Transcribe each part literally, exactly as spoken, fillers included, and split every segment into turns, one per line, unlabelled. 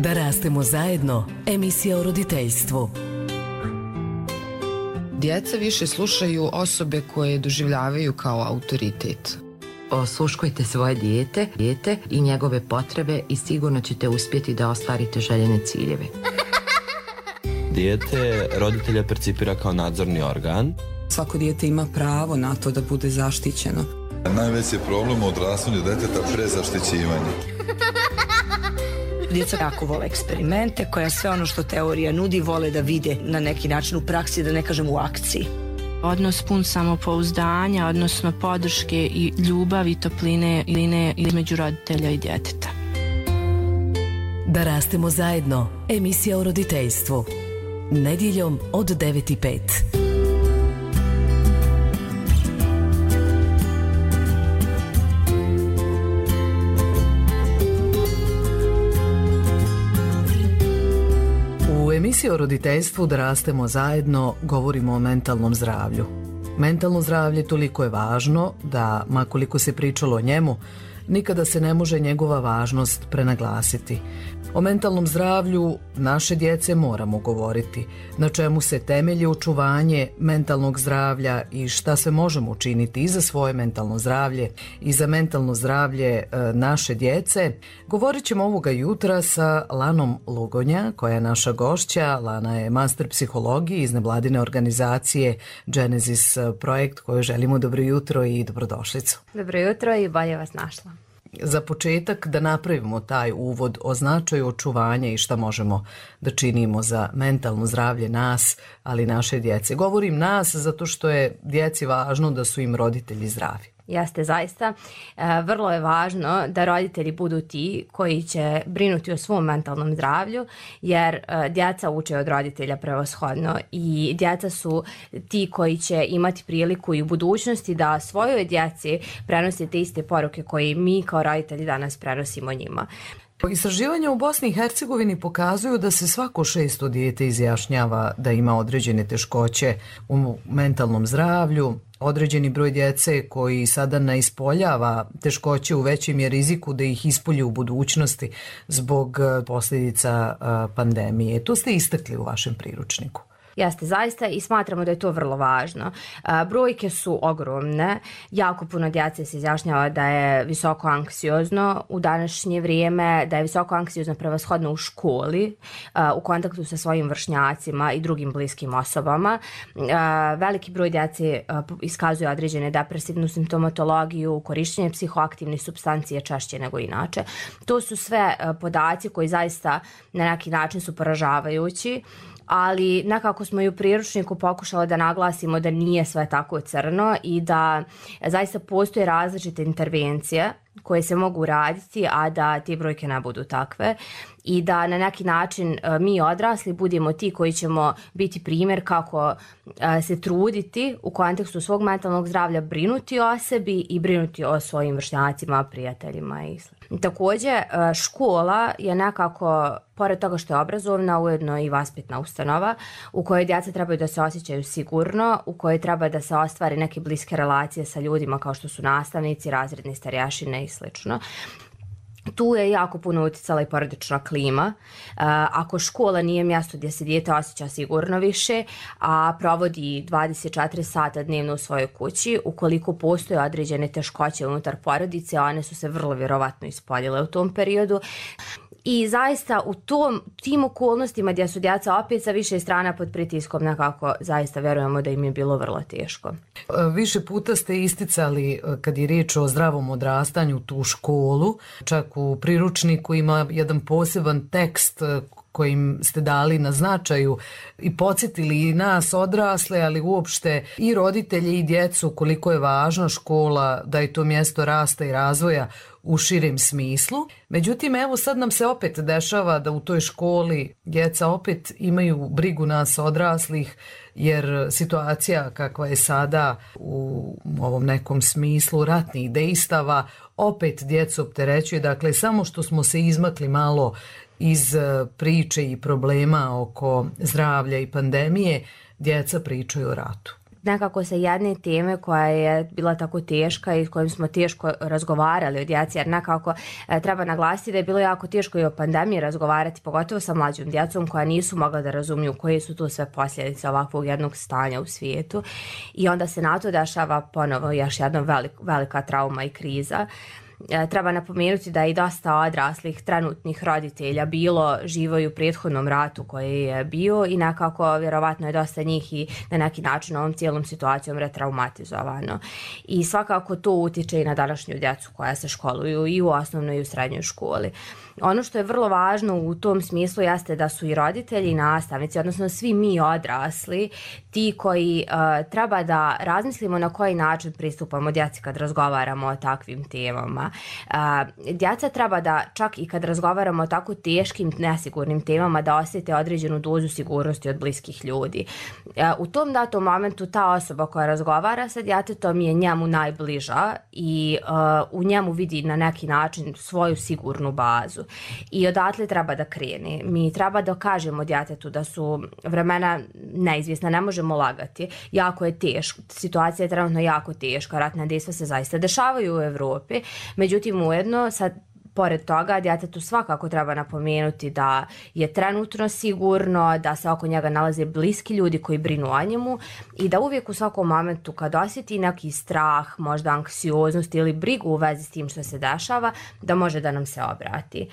Da rastemo zajedno, emisija o roditeljstvu.
Djeca više slušaju osobe koje doživljavaju kao autoritet.
Osluškujte svoje dijete, dijete i njegove potrebe i sigurno ćete uspjeti da ostvarite željene ciljeve.
Dijete roditelja percipira kao nadzorni organ.
Svako dijete ima pravo na to da bude zaštićeno.
Najveći problem u odrastanju djeteta prezaštićivanje.
Djeca jako vole eksperimente, koja sve ono što teorija nudi vole da vide na neki način u praksi, da ne kažem u akciji.
Odnos pun samopouzdanja, odnosno podrške i ljubavi i topline između roditelja i djeteta.
Da rastemo zajedno, emisija o roditeljstvu. Nedjeljom od devet i pet. U emisiji o roditeljstvu Da rastemo zajedno govorimo o mentalnom zdravlju. Mentalno zdravlje toliko je važno da, makoliko se pričalo o njemu, nikada se ne može njegova važnost prenaglasiti. O mentalnom zdravlju naše djece moramo govoriti, na čemu se temelji očuvanje mentalnog zdravlja i šta sve možemo učiniti i za svoje mentalno zdravlje i za mentalno zdravlje e, naše djece. Govorit ćemo ovoga jutra sa Lanom Lugonja, koja je naša gošća. Lana je master psihologije iz nevladine organizacije Genesis projekt, kojoj želimo dobro jutro i dobrodošlicu.
Dobro jutro i bolje vas našla.
Za početak da napravimo taj uvod o značaju očuvanja i šta možemo da činimo za mentalno zdravlje nas, ali i naše djece. Govorim nas zato što je djeci važno da su im roditelji zdravi.
Jeste, zaista. E, vrlo je važno da roditelji budu ti koji će brinuti o svom mentalnom zdravlju, jer e, djeca uče od roditelja prevashodno i djeca su ti koji će imati priliku i u budućnosti da svojoj djeci prenose te iste poruke koje mi kao roditelji danas prenosimo njima.
Istraživanja u Bosni i Hercegovini pokazuju da se svako šesto dijete izjašnjava da ima određene teškoće u mentalnom zdravlju. Određeni broj djece koji sada ne ispoljava teškoće u većem je riziku da ih ispolji u budućnosti zbog posljedica pandemije. To ste istakli u vašem priručniku.
Jeste, zaista, i smatramo da je to vrlo važno. A, brojke su ogromne, jako puno djece se izjašnjava da je visoko anksiozno u današnje vrijeme, da je visoko anksiozno prevashodno u školi, a, u kontaktu sa svojim vršnjacima i drugim bliskim osobama. A, veliki broj djece a, iskazuje određene depresivnu simptomatologiju, korištenje psihoaktivnih supstancije češće nego inače. To su sve a, podaci koji zaista na neki način su poražavajući, ali nekako smo i u priručniku pokušali da naglasimo da nije sve tako crno i da zaista postoje različite intervencije koje se mogu raditi, a da te brojke ne budu takve i da na neki način mi odrasli budemo ti koji ćemo biti primjer kako se truditi u kontekstu svog mentalnog zdravlja, brinuti o sebi i brinuti o svojim vršnjacima, prijateljima i sl. Također, škola je nekako, pored toga što je obrazovna, ujedno i vaspitna ustanova u kojoj djeca trebaju da se osjećaju sigurno, u kojoj treba da se ostvari neke bliske relacije sa ljudima kao što su nastavnici, razredni starješine i slično. Tu je jako puno utjecala i porodična klima. Uh, ako škola nije mjesto gdje se dijete osjeća sigurno više, a provodi dvadeset četiri sata dnevno u svojoj kući, ukoliko postoje određene teškoće unutar porodice, one su se vrlo vjerovatno ispoljile u tom periodu. I zaista u tom, tim okolnostima gdje su djeca opet sa više strana pod pritiskom, nekako zaista vjerujemo da im je bilo vrlo teško.
Više puta ste isticali kad je riječ o zdravom odrastanju tu školu, čak u priručniku ima jedan poseban tekst kojim ste dali na značaju i podsjetili i nas odrasle, ali uopšte i roditelje i djecu koliko je važna škola, da je to mjesto rasta i razvoja u širem smislu. Međutim, evo sad nam se opet dešava da u toj školi djeca opet imaju brigu nas odraslih, jer situacija kakva je sada u ovom nekom smislu ratnih dejstava opet djecu opterećuje. Dakle, samo što smo se izmakli malo iz priče i problema oko zdravlja i pandemije, djeca pričaju o ratu.
nekako sa jedne teme koja je bila tako teška i s kojom smo teško razgovarali o djeci, jer nekako e, treba naglasiti da je bilo jako teško i o pandemiji razgovarati, pogotovo sa mlađom djecom koja nisu mogla da razumiju koje su tu sve posljedice ovakvog jednog stanja u svijetu i onda se na to dešava ponovo još jedna velik, velika trauma i kriza. Treba napomenuti da je i dosta odraslih trenutnih roditelja bilo živo i u prethodnom ratu koji je bio i nekako vjerovatno je dosta njih i na neki način ovom cijelom situacijom retraumatizovano. I svakako to utiče i na današnju djecu koja se školuju i u osnovnoj i u srednjoj školi. Ono što je vrlo važno u tom smislu jeste da su i roditelji i nastavnici, odnosno svi mi odrasli, ti koji uh, treba da razmislimo na koji način pristupamo djeci kad razgovaramo o takvim temama. Uh, djeca treba da čak i kad razgovaramo o tako teškim, nesigurnim temama da osjete određenu dozu sigurnosti od bliskih ljudi. Uh, u tom datom momentu ta osoba koja razgovara sa djetetom je njemu najbliža i uh, u njemu vidi na neki način svoju sigurnu bazu. I odatle treba da krene. Mi treba da kažemo djetetu da su vremena neizvjesna, ne možemo lagati. Jako je teško, situacija je trenutno jako teška, ratna dejstva se zaista dešavaju u Evropi. Međutim, ujedno, sad pored toga, djetetu svakako treba napomenuti da je trenutno sigurno, da se oko njega nalaze bliski ljudi koji brinu o njemu i da uvijek u svakom momentu kad osjeti neki strah, možda anksioznost ili brigu u vezi s tim što se dešava, da može da nam se obrati.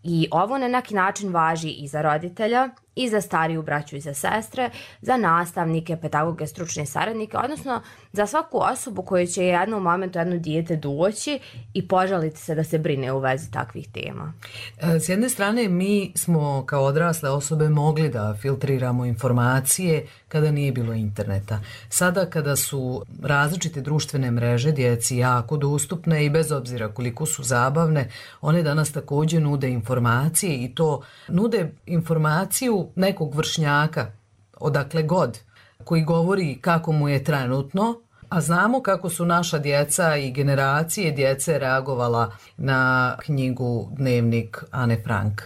I ovo na neki način važi i za roditelja, i za stariju braću i za sestre, za nastavnike, pedagoge, stručne saradnike, odnosno za svaku osobu koju će jednom momentu jedno dijete doći i požaliti se da se brine u vezi takvih tema.
S jedne strane, mi smo kao odrasle osobe mogli da filtriramo informacije kada nije bilo interneta. Sada kada su različite društvene mreže djeci jako dostupne i bez obzira koliko su zabavne, one danas također nude informacije i to nude informaciju nekog vršnjaka, odakle god, koji govori kako mu je trenutno, a znamo kako su naša djeca i generacije djece reagovala na knjigu Dnevnik Ane Frank.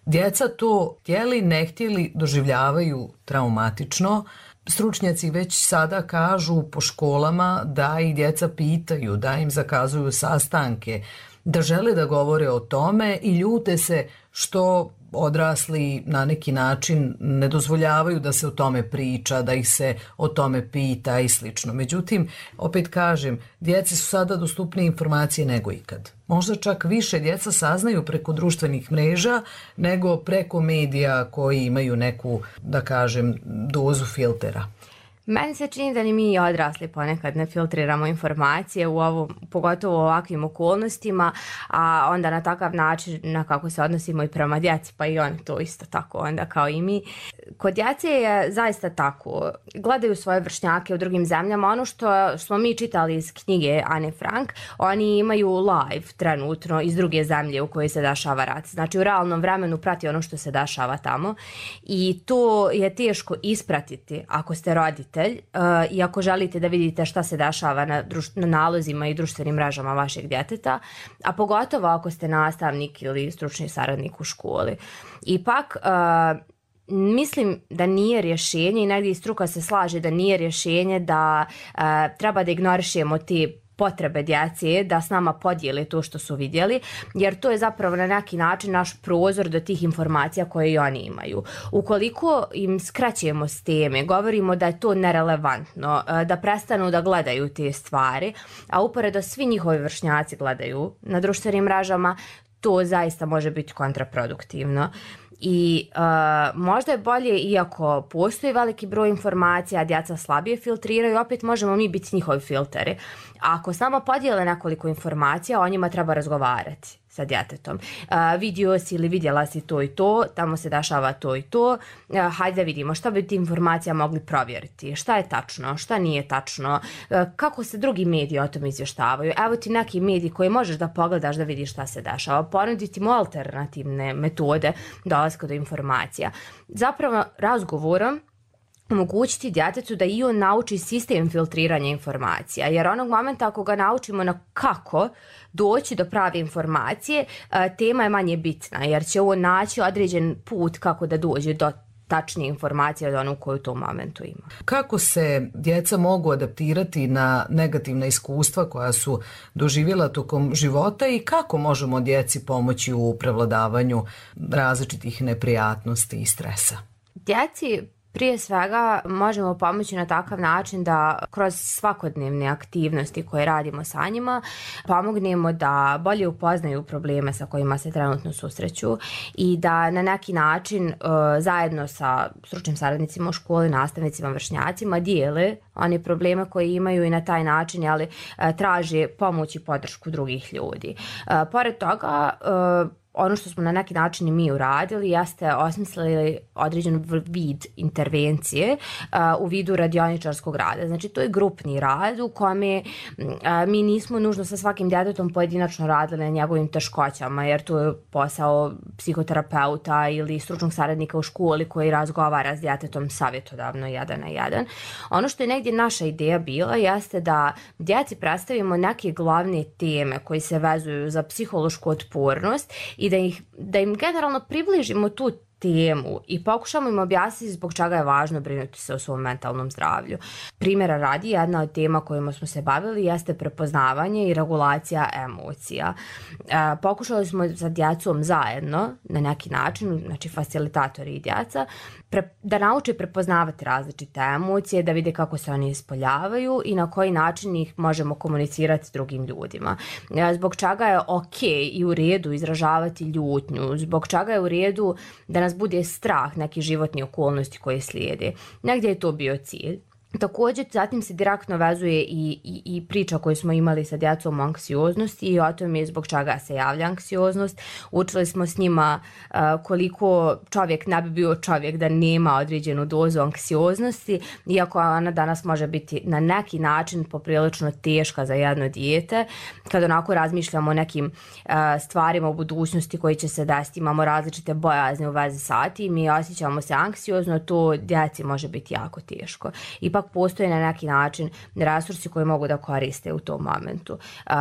Djeca to htjeli, ne htjeli, doživljavaju traumatično. Stručnjaci već sada kažu po školama da ih djeca pitaju, da im zakazuju sastanke, da žele da govore o tome i ljute se što odrasli na neki način ne dozvoljavaju da se o tome priča, da ih se o tome pita i slično. Međutim, opet kažem, djeci su sada dostupnije informacije nego ikad. Možda čak više djeca saznaju preko društvenih mreža nego preko medija koji imaju neku, da kažem, dozu filtera.
Meni se čini da ni mi odrasli ponekad ne filtriramo informacije u ovom, pogotovo u ovakvim okolnostima, a onda na takav način na kako se odnosimo i prema djeci, pa i oni to isto tako onda kao i mi. Kod djece je zaista tako. Gledaju svoje vršnjake u drugim zemljama. Ono što smo mi čitali iz knjige Ane Frank, oni imaju live trenutno iz druge zemlje u kojoj se dešava rat. Znači u realnom vremenu prati ono što se dešava tamo i to je teško ispratiti ako ste roditelj. Uh, i ako želite da vidite šta se dešava na, druš- na nalozima i društvenim mrežama vašeg djeteta, a pogotovo ako ste nastavnik ili stručni saradnik u školi. Ipak, uh, mislim da nije rješenje i negdje i struka se slaže da nije rješenje da uh, treba da ignorišemo te potrebe djece da s nama podijele to što su vidjeli, jer to je zapravo na neki način naš prozor do tih informacija koje i oni imaju. Ukoliko im skraćujemo s teme, govorimo da je to nerelevantno, da prestanu da gledaju te stvari, a uporedo svi njihovi vršnjaci gledaju na društvenim mrežama, to zaista može biti kontraproduktivno. I uh, možda je bolje, iako postoji veliki broj informacija, a djeca slabije filtriraju, opet možemo mi biti njihovi filteri. Ako samo podijele nekoliko informacija, o njima treba razgovarati sa djetetom. Uh, vidio si ili vidjela si to i to, tamo se dešava to i to, uh, hajde da vidimo šta bi ti informacija mogli provjeriti, šta je tačno, šta nije tačno, uh, kako se drugi mediji o tom izvještavaju. Evo ti neki mediji koji možeš da pogledaš da vidiš šta se dešava, ponuditi mu alternativne metode dolaska do informacija. Zapravo razgovorom omogućiti djetetu da i on nauči sistem filtriranja informacija, jer onog momenta ako ga naučimo na kako doći do prave informacije, tema je manje bitna, jer će on naći određen put kako da dođe do tačnije informacije od onu koju u tom momentu ima.
Kako se djeca mogu adaptirati na negativna iskustva koja su doživjela tokom života i kako možemo djeci pomoći u prevladavanju različitih neprijatnosti i stresa?
Djeci prije svega možemo pomoći na takav način da kroz svakodnevne aktivnosti koje radimo sa njima pomognemo da bolje upoznaju probleme sa kojima se trenutno susreću i da na neki način uh, zajedno sa stručnim saradnicima u školi, nastavnicima, vršnjacima dijele one probleme koje imaju i na taj način ali, uh, traže pomoć i podršku drugih ljudi. Uh, pored toga, uh, ono što smo na neki način i mi uradili jeste osmislili određen vid intervencije uh, u vidu radioničarskog rada. Znači to je grupni rad u kome uh, mi nismo nužno sa svakim djetetom pojedinačno radili na njegovim teškoćama jer to je posao psihoterapeuta ili stručnog saradnika u školi koji razgovara s djetetom savjetodavno jedan na jedan. Ono što je negdje naša ideja bila jeste da djeci predstavimo neke glavne teme koji se vezuju za psihološku otpornost i da, ih, da im generalno približimo tu temu i pokušamo im objasniti zbog čega je važno brinuti se o svom mentalnom zdravlju. Primjera radi, jedna od tema kojima smo se bavili jeste prepoznavanje i regulacija emocija. E, pokušali smo sa djecom zajedno na neki način, znači facilitatori i djeca, pre, da nauče prepoznavati različite emocije, da vide kako se oni ispoljavaju i na koji način ih možemo komunicirati s drugim ljudima. E, zbog čega je ok i u redu izražavati ljutnju, zbog čega je u redu da nas bude strah nekih životnih okolnosti koje slijede. Negdje je to bio cilj. Također, zatim se direktno vezuje i, i, i priča koju smo imali sa djecom o anksioznosti i o tome zbog čega se javlja anksioznost. Učili smo s njima uh, koliko čovjek ne bi bio čovjek da nema određenu dozu anksioznosti, iako ona danas može biti na neki način poprilično teška za jedno dijete. Kad onako razmišljamo o nekim uh, stvarima u budućnosti koji će se desiti, imamo različite bojazne u vezi sa tim i osjećamo se anksiozno, to djeci može biti jako teško. Ipak postoje na neki način resursi koji mogu da koriste u tom momentu. Uh,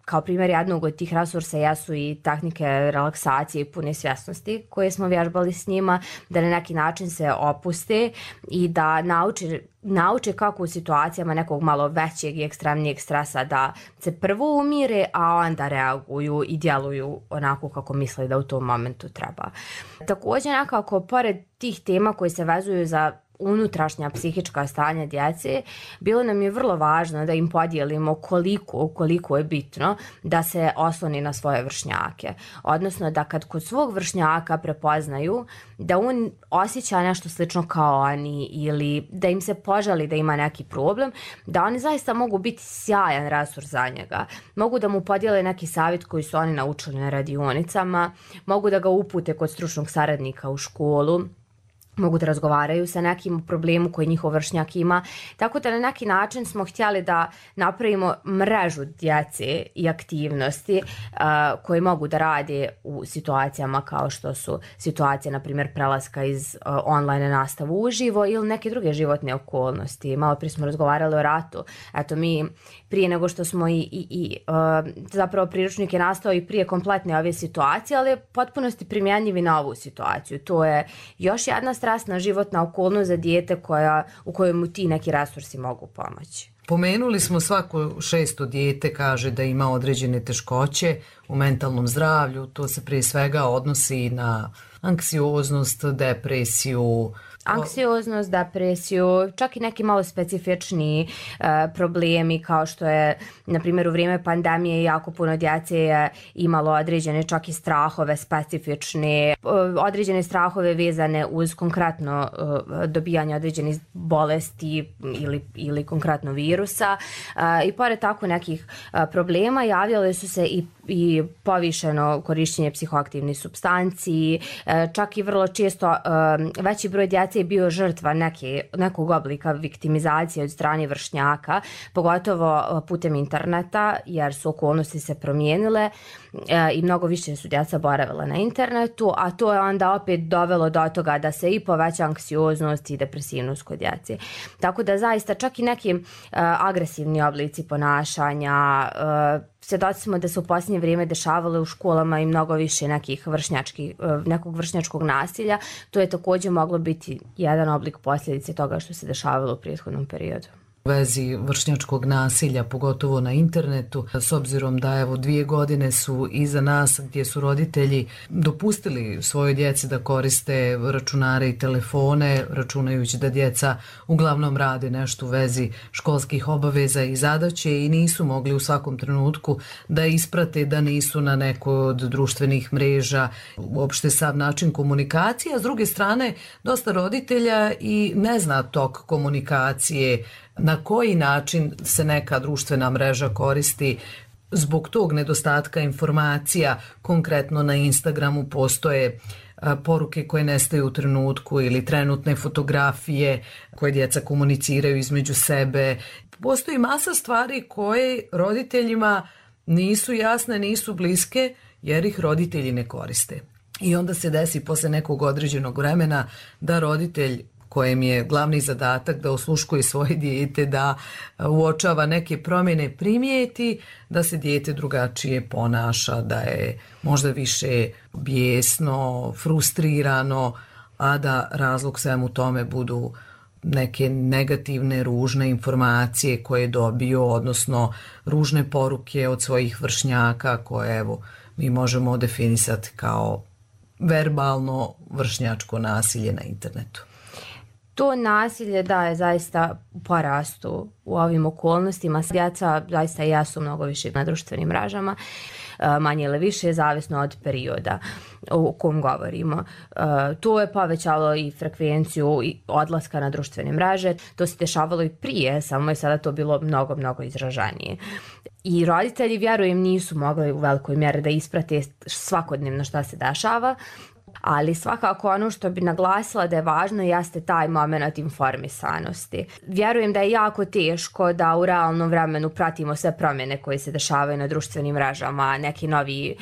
kao primjer jednog od tih resursa jesu i tehnike relaksacije i pune svjesnosti koje smo vježbali s njima, da na neki način se opuste i da nauče nauče kako u situacijama nekog malo većeg i ekstremnijeg stresa da se prvo umire, a onda reaguju i djeluju onako kako misle da u tom momentu treba. Također nekako, pored tih tema koje se vezuju za unutrašnja psihička stanja djece, bilo nam je vrlo važno da im podijelimo koliko, koliko je bitno da se osloni na svoje vršnjake. Odnosno da kad kod svog vršnjaka prepoznaju da on osjeća nešto slično kao oni ili da im se požali da ima neki problem, da oni zaista mogu biti sjajan resurs za njega. Mogu da mu podijele neki savjet koji su oni naučili na radionicama, mogu da ga upute kod stručnog saradnika u školu, mogu da razgovaraju sa nekim problemu koji njihov vršnjak ima. Tako da na neki način smo htjeli da napravimo mrežu djece i aktivnosti uh, koje mogu da rade u situacijama kao što su situacije, na primjer, prelaska iz uh, online nastavu uživo ili neke druge životne okolnosti. Malo prije smo razgovarali o ratu. Eto, mi prije nego što smo i, i, i uh, zapravo priručnik je nastao i prije kompletne ove situacije, ali je potpunosti primjenjivi na ovu situaciju. To je još jedna strasna životna okolnost za dijete koja, u kojoj mu ti neki resursi mogu pomoći.
Pomenuli smo svako šesto dijete kaže da ima određene teškoće u mentalnom zdravlju. To se prije svega odnosi na anksioznost, depresiju.
Anksioznost, depresiju, čak i neki malo specifični uh, problemi kao što je, na primjer, u vrijeme pandemije jako puno djece je imalo određene čak i strahove specifične, uh, određene strahove vezane uz konkretno uh, dobijanje određenih bolesti ili, ili konkretno virusa. Uh, I pored tako nekih uh, problema javljale su se i, i povišeno korištenje psihoaktivnih supstanci, uh, čak i vrlo često uh, veći broj djece je bio žrtva neke, nekog oblika viktimizacije od strane vršnjaka, pogotovo putem interneta, jer su okolnosti se promijenile e, i mnogo više su djeca boravila na internetu, a to je onda opet dovelo do toga da se i poveća anksioznost i depresivnost kod djece. Tako da zaista čak i neki e, agresivni oblici ponašanja, e, svjedoci smo da se u posljednje vrijeme dešavalo u školama i mnogo više nekih vršnjačkih, nekog vršnjačkog nasilja. To je također moglo biti jedan oblik posljedice toga što se dešavalo u prethodnom periodu.
U vezi vršnjačkog nasilja, pogotovo na internetu, s obzirom da evo dvije godine su iza nas gdje su roditelji dopustili svojoj djeci da koriste računare i telefone, računajući da djeca uglavnom rade nešto u vezi školskih obaveza i zadaće i nisu mogli u svakom trenutku da isprate da nisu na nekoj od društvenih mreža, uopšte sav način komunikacije, a s druge strane dosta roditelja i ne zna tok komunikacije, na koji način se neka društvena mreža koristi. Zbog tog nedostatka informacija, konkretno na Instagramu postoje poruke koje nestaju u trenutku ili trenutne fotografije koje djeca komuniciraju između sebe. Postoji masa stvari koje roditeljima nisu jasne, nisu bliske jer ih roditelji ne koriste. I onda se desi posle nekog određenog vremena da roditelj kojem je glavni zadatak da osluškuje svoje dijete, da uočava neke promjene, primijeti da se dijete drugačije ponaša, da je možda više bijesno, frustrirano, a da razlog svemu tome budu neke negativne, ružne informacije koje je dobio, odnosno ružne poruke od svojih vršnjaka koje evo mi možemo definisati kao verbalno vršnjačko nasilje na internetu.
To nasilje da je zaista u porastu u ovim okolnostima. Djeca zaista jesu mnogo više na društvenim mrežama, manje ili više, zavisno od perioda o kom govorimo. To je povećalo i frekvenciju odlaska na društvene mreže. To se dešavalo i prije, samo je sada to bilo mnogo, mnogo izraženije. I roditelji, vjerujem, nisu mogli u velikoj mjeri da isprate svakodnevno šta se dešava, ali svakako ono što bi naglasila da je važno jeste taj moment informisanosti. Vjerujem da je jako teško da u realnom vremenu pratimo sve promjene koje se dešavaju na društvenim mrežama, neki novi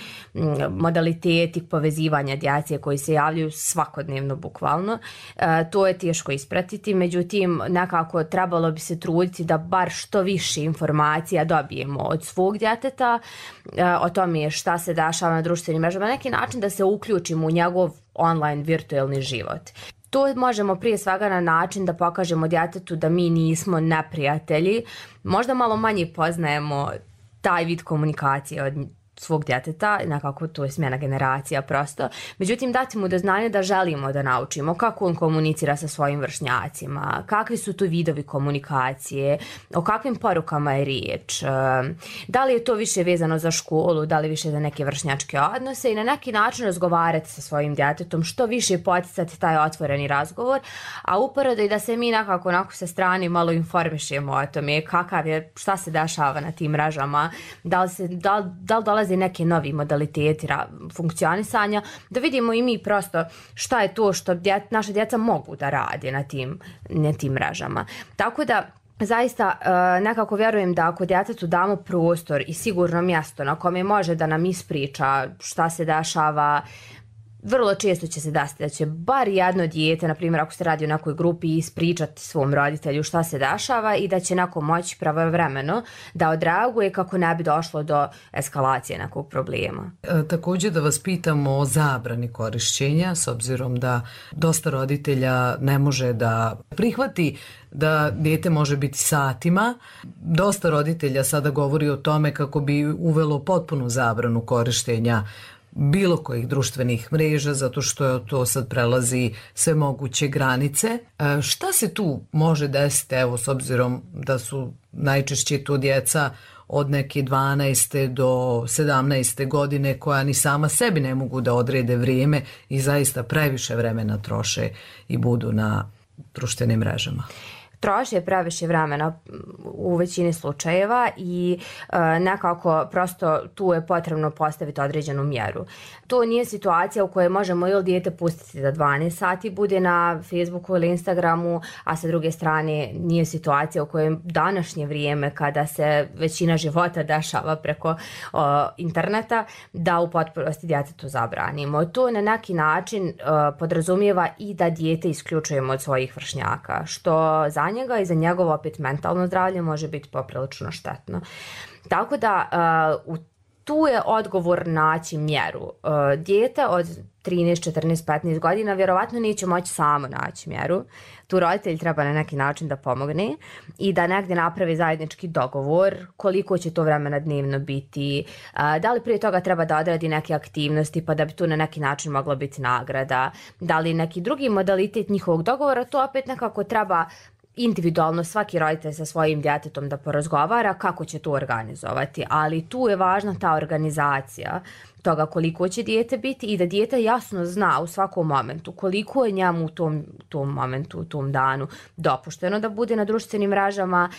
modaliteti povezivanja djece koji se javljaju svakodnevno bukvalno. E, to je teško ispratiti, međutim nekako trebalo bi se truditi da bar što više informacija dobijemo od svog djeteta e, o tome šta se dešava na društvenim mrežama, na neki način da se uključimo u njegov online virtualni život. To možemo prije svega na način da pokažemo djetetu da mi nismo neprijatelji, možda malo manje poznajemo taj vid komunikacije od svog djeteta, nekako to je smjena generacija prosto. Međutim, dati mu do znanja da želimo da naučimo kako on komunicira sa svojim vršnjacima, kakvi su tu vidovi komunikacije, o kakvim porukama je riječ, da li je to više vezano za školu, da li više za neke vršnjačke odnose i na neki način razgovarati sa svojim djetetom, što više poticati taj otvoreni razgovor, a uporedo i da se mi nekako onako sa strane malo informišemo o tome kakav je, šta se dešava na tim mrežama, da li, se, da li, da li dolazi neke novi modaliteti funkcionisanja, da vidimo i mi prosto šta je to što djet, naša djeca mogu da rade na tim, na tim mrežama. Tako da zaista nekako vjerujem da ako djetetu damo prostor i sigurno mjesto na kome može da nam ispriča šta se dešava, vrlo često će se desiti da će bar jedno dijete, na primjer ako se radi o nekoj grupi, ispričati svom roditelju šta se dešava i da će neko moći pravovremeno da odreaguje kako ne bi došlo do eskalacije nekog problema.
E, također da vas pitamo o zabrani korišćenja, s obzirom da dosta roditelja ne može da prihvati da dijete može biti satima. Dosta roditelja sada govori o tome kako bi uvelo potpunu zabranu korištenja bilo kojih društvenih mreža, zato što to sad prelazi sve moguće granice. E, šta se tu može desiti, evo, s obzirom da su najčešće to djeca od neke dvanaeste do sedamnaeste godine koja ni sama sebi ne mogu da odrede vrijeme i zaista previše vremena troše i budu na društvenim mrežama?
Troši je previše vremena u većini slučajeva i e, nekako prosto tu je potrebno postaviti određenu mjeru. To nije situacija u kojoj možemo ili dijete pustiti da dvanaest sati bude na Facebooku ili Instagramu, a sa druge strane nije situacija u kojoj današnje vrijeme kada se većina života dešava preko o, interneta, da u potpunosti djetetu zabranimo. To na neki način e, podrazumijeva i da dijete isključujemo od svojih vršnjaka, što za njega i za njegovo opet mentalno zdravlje može biti poprilično štetno. Tako da uh, u tu je odgovor naći mjeru. Uh, dijete od trinaest, četrnaest, petnaest godina vjerovatno neće moći samo naći mjeru. Tu roditelj treba na neki način da pomogne i da negdje napravi zajednički dogovor koliko će to vremena dnevno biti, uh, da li prije toga treba da odradi neke aktivnosti pa da bi tu na neki način mogla biti nagrada, da li neki drugi modalitet njihovog dogovora, to opet nekako treba individualno svaki roditelj sa svojim djetetom da porazgovara kako će to organizovati, ali tu je važna ta organizacija toga koliko će dijete biti i da dijete jasno zna u svakom momentu koliko je njemu u tom, tom momentu, u tom danu dopušteno da bude na društvenim mrežama,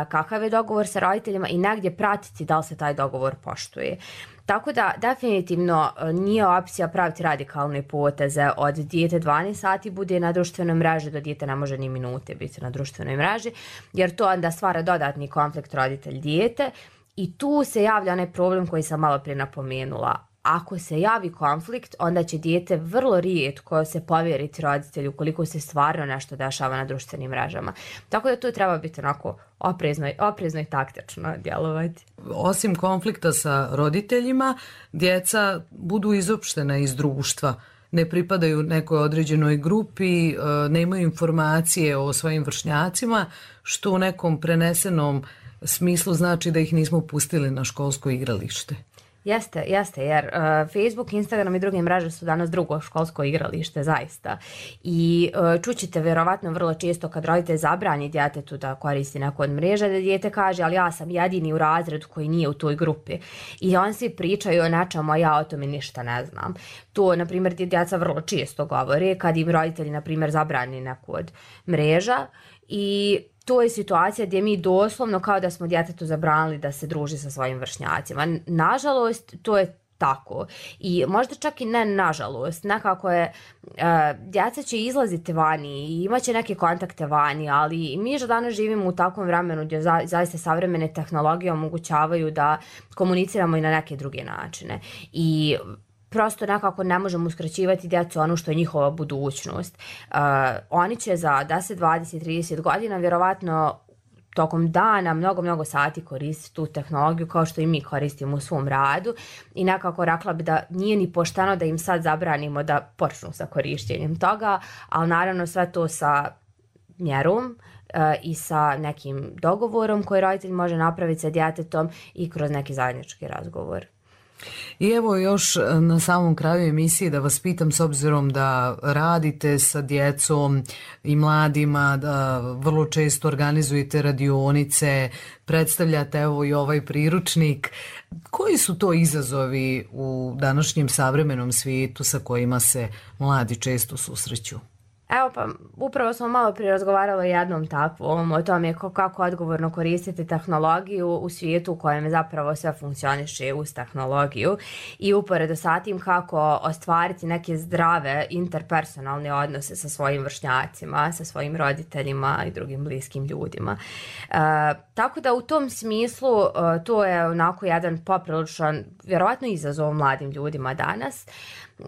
kakav je dogovor sa roditeljima i negdje pratiti da li se taj dogovor poštuje. Tako da definitivno nije opcija praviti radikalne poteze od dijete dvanaest sati bude na društvenoj mreži do dijete ne može ni minute biti na društvenoj mreži, jer to onda stvara dodatni konflikt roditelj-dijete i tu se javlja onaj problem koji sam malo prije napomenula. Ako se javi konflikt, onda će dijete vrlo rijetko se povjeriti roditelju koliko se stvarno nešto dešava na društvenim mrežama. Tako da tu treba biti onako oprezno, oprezno i taktično djelovati.
Osim konflikta sa roditeljima, djeca budu izopštena iz društva. Ne pripadaju nekoj određenoj grupi, nemaju informacije o svojim vršnjacima, što u nekom prenesenom smislu znači da ih nismo pustili na školsko igralište.
Jeste, jeste, jer uh, Facebook, Instagram i druge mreže su danas drugo školsko igralište, zaista. I uh, čućete vjerovatno vrlo često kad roditelj zabrani djetetu da koristi neku od mreža, da dijete kaže, ali ja sam jedini u razredu koji nije u toj grupi. I on svi pričaju o nečemu, a ja o tome ništa ne znam. To, na primjer, djeca vrlo često govore kad im roditelji, na primjer, zabrani neku od mreža i to je situacija gdje mi doslovno kao da smo djetetu zabranili da se druži sa svojim vršnjacima. Nažalost, to je tako. I možda čak i ne nažalost. Nekako je, uh, djeca će izlaziti vani i imat će neke kontakte vani, ali mi že danas živimo u takvom vremenu gdje za, zaista savremene tehnologije omogućavaju da komuniciramo i na neke druge načine. I prosto nekako ne možemo uskraćivati djecu ono što je njihova budućnost. Uh, oni će za deset, dvadeset, trideset godina vjerovatno tokom dana mnogo, mnogo sati koristiti tu tehnologiju kao što i mi koristimo u svom radu i nekako rekla bi da nije ni pošteno da im sad zabranimo da počnu sa korištenjem toga, ali naravno sve to sa mjerom uh, i sa nekim dogovorom koji roditelj može napraviti sa djetetom i kroz neki zajednički razgovor.
I evo još na samom kraju emisije da vas pitam, s obzirom da radite sa djecom i mladima, da vrlo često organizujete radionice, predstavljate evo i ovaj priručnik. Koji su to izazovi u današnjem savremenom svijetu sa kojima se mladi često susreću?
Evo pa, upravo smo malo prije razgovarali o jednom takvom, o tome kako odgovorno koristiti tehnologiju u svijetu u kojem zapravo sve funkcioniše uz tehnologiju i uporedo sa tim kako ostvariti neke zdrave interpersonalne odnose sa svojim vršnjacima, sa svojim roditeljima i drugim bliskim ljudima. E, tako da u tom smislu e, to je onako jedan popriličan, vjerovatno izazov mladim ljudima danas.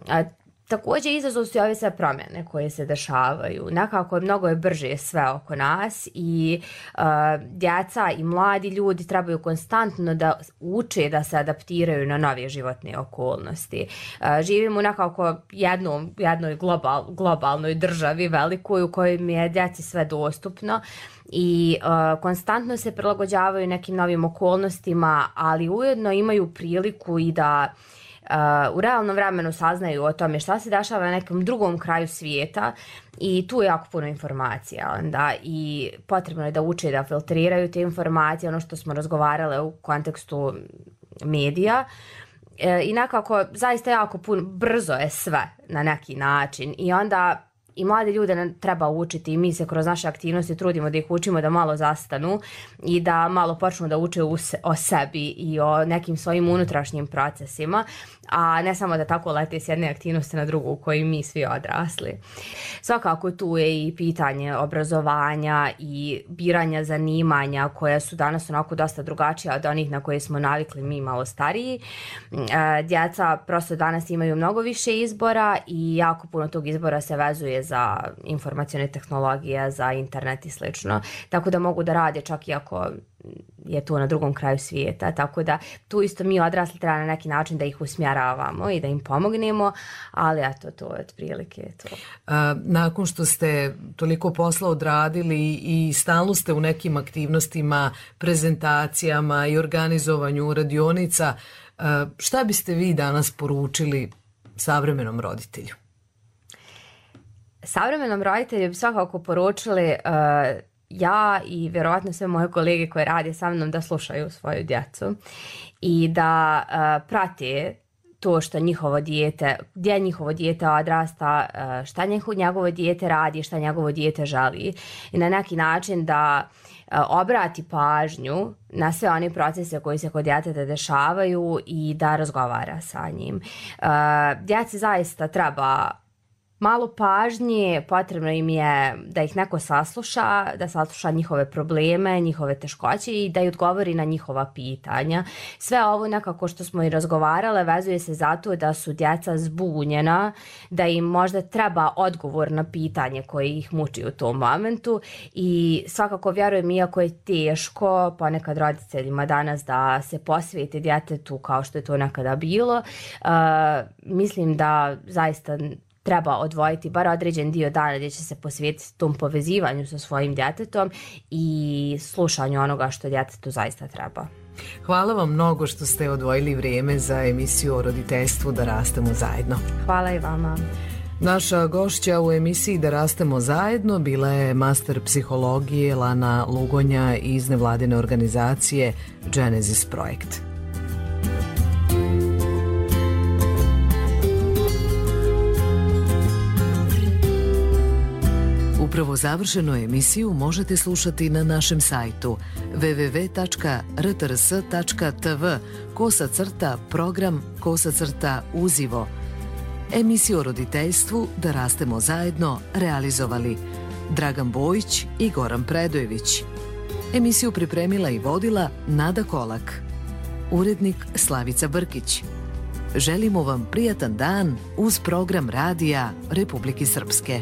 E, Također izazov su ove sve promjene koje se dešavaju. Nekako mnogo je brže sve oko nas i uh, djeca i mladi ljudi trebaju konstantno da uče da se adaptiraju na nove životne okolnosti. Uh, živimo nekako jednom, jednoj global, globalnoj državi velikoj u kojoj je djeci sve dostupno i uh, konstantno se prilagođavaju nekim novim okolnostima, ali ujedno imaju priliku i da Uh, u realnom vremenu saznaju o tome šta se dešava na nekom drugom kraju svijeta i tu je jako puno informacija onda i potrebno je da uče da filtriraju te informacije, ono što smo razgovarale u kontekstu medija. E, i nekako zaista jako puno, brzo je sve na neki način i onda i mlade ljude treba učiti i mi se kroz naše aktivnosti trudimo da ih učimo da malo zastanu i da malo počnu da uče o sebi i o nekim svojim unutrašnjim procesima, a ne samo da tako lete s jedne aktivnosti na drugu u kojoj mi svi odrasli. Svakako tu je i pitanje obrazovanja i biranja zanimanja koja su danas onako dosta drugačija od onih na koje smo navikli mi malo stariji. Djeca prosto danas imaju mnogo više izbora i jako puno tog izbora se vezuje za informacione tehnologije, za internet i slično. Tako da mogu da rade čak i ako je to na drugom kraju svijeta. Tako da tu isto mi odrasli treba na neki način da ih usmjeravamo i da im pomognemo, ali eto, to je otprilike to.
A, nakon što ste toliko posla odradili i stalno ste u nekim aktivnostima, prezentacijama i organizovanju radionica, a, šta biste vi danas poručili savremenom roditelju?
Savremenom roditelju bi svakako poručili uh, ja i vjerovatno sve moje kolege koje rade sa mnom da slušaju svoju djecu i da uh, prate to što njihovo dijete, gdje njihovo dijete odrasta, uh, šta njegovo dijete radi, šta njegovo dijete želi i na neki način da uh, obrati pažnju na sve one procese koji se kod djeteta dešavaju i da razgovara sa njim. Uh, djeci zaista treba malo pažnje, potrebno im je da ih neko sasluša, da sasluša njihove probleme, njihove teškoće i da ih odgovori na njihova pitanja. Sve ovo nekako što smo i razgovarale vezuje se zato da su djeca zbunjena, da im možda treba odgovor na pitanje koje ih muči u tom momentu i svakako vjerujem, iako je teško ponekad roditeljima danas da se posvijete djetetu kao što je to nekada bilo, uh, mislim da zaista treba odvojiti bar određen dio dana gdje će se posvetiti tom povezivanju sa svojim djetetom i slušanju onoga što djetetu zaista treba.
Hvala vam mnogo što ste odvojili vrijeme za emisiju o roditeljstvu Da rastemo zajedno.
Hvala i vama.
Naša gošća u emisiji Da rastemo zajedno bila je master psihologije Lana Lugonja iz nevladine organizacije Genesis Projekt. Upravo završenu emisiju možete slušati na našem sajtu w w w tačka r t r s tačka t v kosa crta program kosa crta uzivo. Emisiju o roditeljstvu Da rastemo zajedno realizovali Dragan Bojić i Goran Predojević. Emisiju pripremila i vodila Nada Kolak. Urednik Slavica Brkić. Želimo vam prijatan dan uz program radija Republike Srpske.